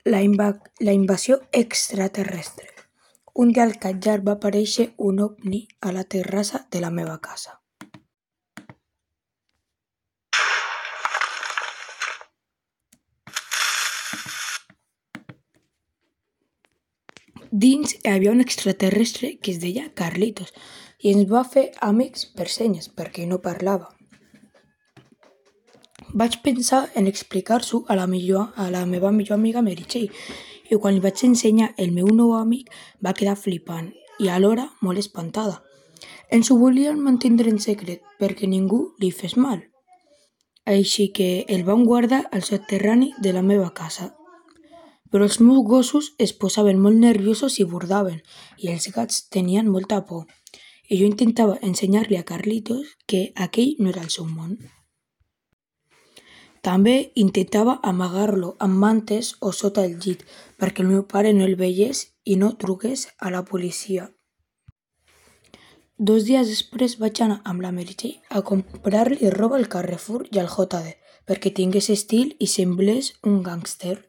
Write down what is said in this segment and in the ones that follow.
La invasió extraterrestre. Un dia al Catllar va aparèixer un ovni a la terrassa de la meva casa. Dins hi havia un extraterrestre que es deia Carlitos i ens va fer amics per senyes perquè no parlava. Vaig pensar en explicar-s'ho a la meva millor amiga Meritxell i quan li vaig ensenyar el meu nou amic va quedar flipant i alhora molt espantada. Ens ho volien mantindre en secret perquè ningú li fes mal. Així que el vam guardar al soterrani de la meva casa. Però els meus gossos es posaven molt nerviosos i bordaven, i els gats tenien molta por. I jo intentava ensenyar-li a Carlitos que aquell no era el seu món. També intentava amagar-lo amb mantes o sota el llit perquè el meu pare no el veiés i no truqués a la policia. 2 dies després vaig anar amb la Meritxell a comprar-li roba al Carrefour i al JD perquè tingués estil i semblés un gàngster.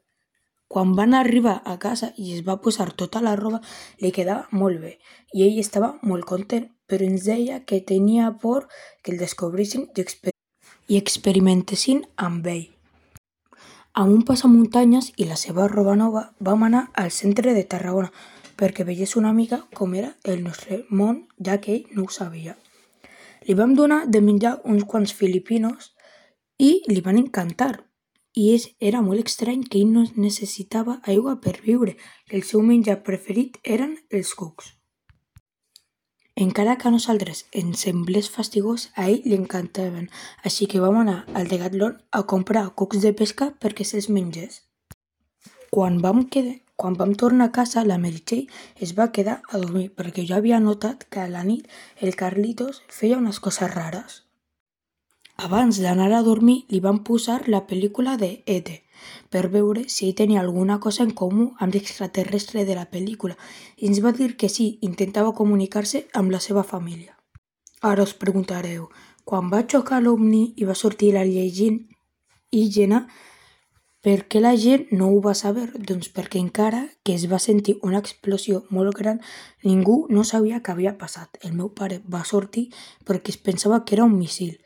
Quan van arribar a casa i es va posar tota la roba, li quedava molt bé i ell estava molt content, però ens deia que tenia por que el descobrissin i experimentessin amb ell. Amb un passamuntanyes i la seva roba nova vam anar al centre de Tarragona perquè veiés una mica com era el nostre món, ja que ell no ho sabia. Li vam donar de menjar uns quants filipinos i li van encantar. I era molt estrany que ell no necessitava aigua per viure i el seu menjar preferit eren els cucs. Encara que a nosaltres ens semblés fastigós, a ell li encantaven, així que vam anar al Decathlon a comprar cucs de pesca perquè se'ls mengés. Quan vam tornar a casa, la Meritxell es va quedar a dormir perquè jo havia notat que a la nit el Carlitos feia unes coses rares. Abans d'anar a dormir li vam posar la pel·lícula de E.T. per veure si ell tenia alguna cosa en comú amb l'extraterrestre de la pel·lícula i ens va dir que sí, intentava comunicar-se amb la seva família. Ara us preguntareu, quan va xocar l'ovni i va sortir l'alienígena, per què la gent no ho va saber? Doncs perquè encara que es va sentir una explosió molt gran, ningú no sabia què havia passat. El meu pare va sortir perquè es pensava que era un míssil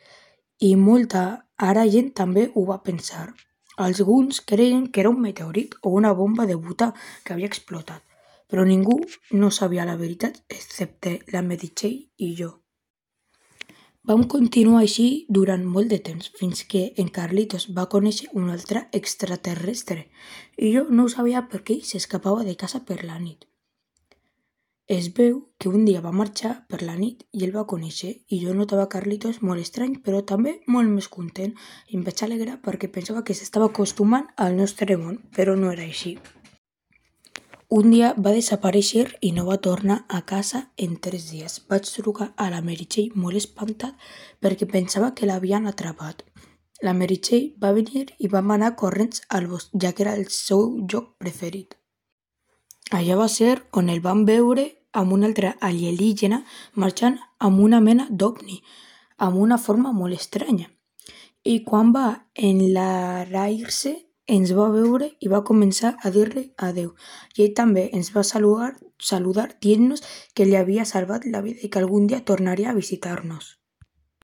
i molta gent també ho va pensar. Alguns creien que era un meteorit o una bomba de butà que havia explotat, però ningú no sabia la veritat excepte la Meritxell i jo. Vam continuar així durant molt de temps, fins que en Carlitos va conèixer un altre extraterrestre i jo no ho sabia perquè ell s'escapava de casa per la nit. Es veu que un dia va marxar per la nit i el va conèixer i jo notava Carlitos molt estrany però també molt més content i em vaig alegrar perquè pensava que s'estava acostumant al nostre món, però no era així. Un dia va desaparèixer i no va tornar a casa en 3 dies. Vaig trucar a la Meritxell molt espantat perquè pensava que l'havien atrapat. La Meritxell va venir i vam anar corrents al bosc, ja que era el seu lloc preferit. Allà va ser on el vam veure amb un altre alienígena marxant amb una mena d'ovni, amb una forma molt estranya. I quan va enlaire-se, ens va veure i va començar a dir-li adeu. I ell també ens va saludar dient-nos que li havia salvat la vida i que algun dia tornaria a visitar-nos.